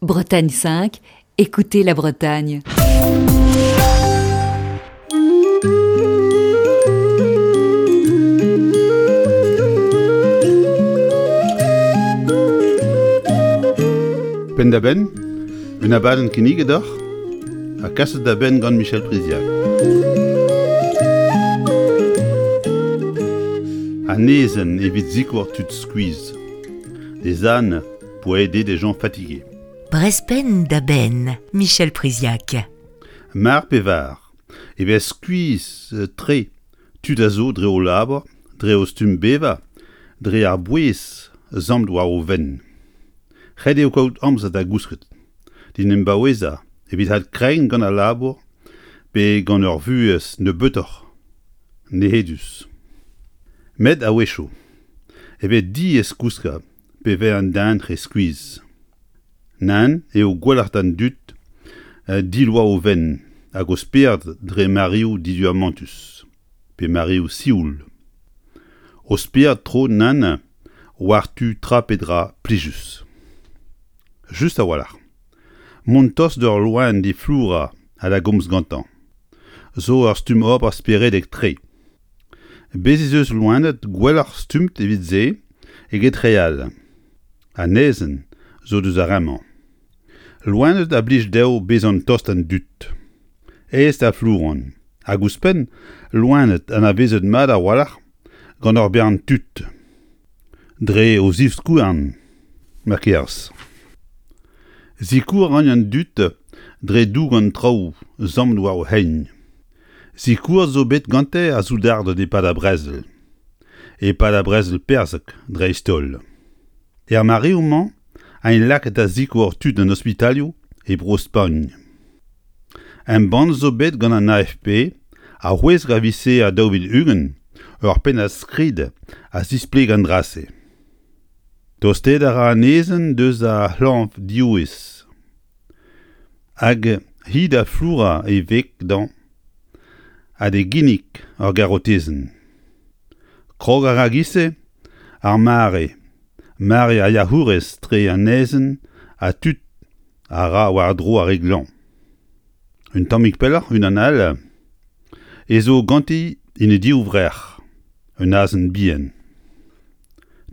Bretagne 5, écoutez la Bretagne. Penn-da-benn, un abadenn kinniget deoc'h ha kaset da benn gant Michel Priziac. An aezhenn evit sikour tud skuizh. Des ânes pour aider des gens fatigués. Brezpenn da benn, Michel Priziac. Mar pe var e vez skuizh-tre tud a zo dre o labour, dre o stumm bevañ, dre ar bouez zammet war o fenn. Ret eo kaout amzer da gousket, d'en em baouezañ evit adkregiñ gant al labour pe gant ur vuhez nebeutoc'h nec'hedus. Met a-wechoù e vez diaes kouskañ pe vez an den re skuizh. Nann eo gwelloc'h d'an dud diloañ o fenn hag o spered dre mareoù diduamantus pe mareoù sioul. O spered tro nann war-tu tra pe dra plijus. Just a-walc'h. Mont tost d'ur loen d'e flourañ ha da gomz gantañ zo ur stumm ober speredek-tre. Bez' ez eus loened gwelloc'h stummet evit se eget re all. An aezhenn zo deus ar re-mañ. Loened a blij dezho bezañ tost an dud. Aes da flouran. Hag ouzhpenn, loened anavezet mat a-walc'h gant ur bern tud. Dre o zivskouarn, ma kerz. Sikour a ran an dud dre dougen traoù zammet war o c'hein. Sikour zo bet gante ar soudarded e-pad ar brezel. E-pad ar brezel perzhek dreist-holl. Er mareoù-mañ eint lakaet da sikour tud an ospitalioù e Bro-Spagn. Embann zo bet gant an AFP ar c'hwezek a viz Here 2020 ur pennad-skrid a zispleg an dra-se. Tostaet a ra an aezhenn deus ar c'hlañvdiourez. Hag hi da flourañ e veg dezhañ ha d'e ginnig ur garotezenn. Krog a ra 'giz-se ar mare, mare ar yac'hourez tre an aezhenn ha tud a ra war-dro ar re glañv. Un tammig pelloc'h unan all e zo ganti en he divrec'h un azen bihan.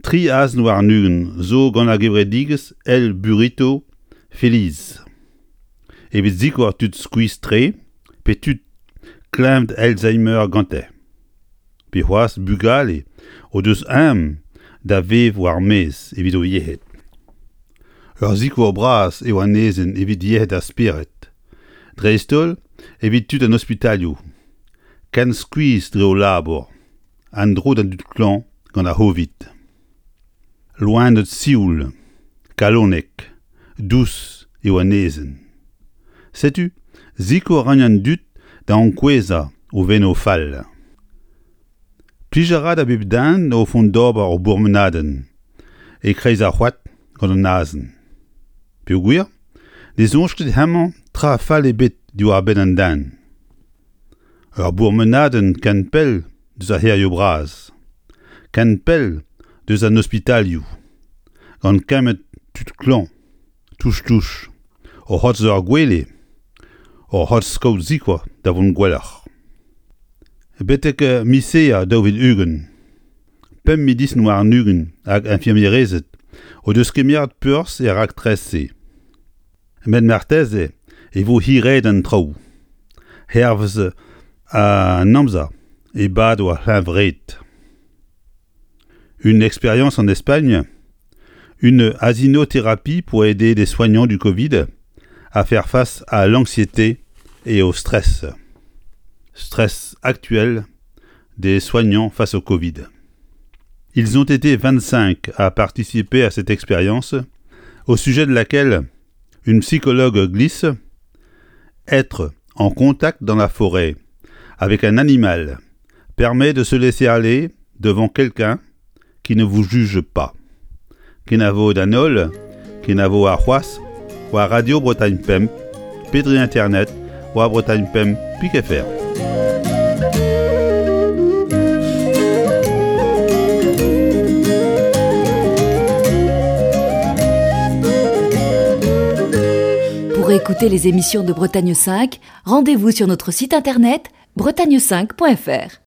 Tri azen warn-ugent zo gant ar gevredigezh El Burrito Feliz evit sikour tud skuizh-tre pe tud kleñved Alzheimer gante pe c'hoazh bugale o deus aon da vev war-maez evit o yec'hed. Ur sikour bras eo an aezhenn evit yec'hed ar spered, dreist-holl evit tud an ospitalioù, ken skuizh dre o labour. An dro d'an dud klañv gant ar C'hovid. Loened sioul, kalonek, dous eo an aezhenn. Setu sikour a ran an dud da ankouezhañ o veno fall. Plij a ra da bep den o vont d'ober ur bourmenadenn e-kreiz ar c'hoad gant an azen. Peogwir ne soñj ket hemañ tra fall ebet diwar-benn an den. Ur bourmenadenn ken pell deus ar c'hêrioù bras, ken pell deus an ospitalioù, gant kement tud klañv, touch-touch, o c'hortoz ur gwele, o c'hortoz kaout sikour da vont gwelloc'h. Betek miz Here 2020, pemp medisin warn-ugent hag infirmierezed o deus kemeret perzh er raktres-se. Met marteze e vo hiraet an traoù. Hervez an amzer e bado ar c'hleñvred. Une expérience en Espagne, une asinothérapie pour aider les soignants du Covid à faire face à l'anxiété et au stress. Stress actuel des soignants face au Covid. Ils ont été 25 à participer à cette expérience, au sujet de laquelle une psychologue glisse être en contact dans la forêt avec un animal permet de se laisser aller devant quelqu'un qui ne vous juge pas. Kenavo d'an holl, kenavo arc'hoazh, war Radio Bretagne Pemp, pe dre internet war Bretagne Pemp pik fr. Pour écouter les émissions de Bretagne 5, rendez-vous sur notre site internet bretagne5.fr.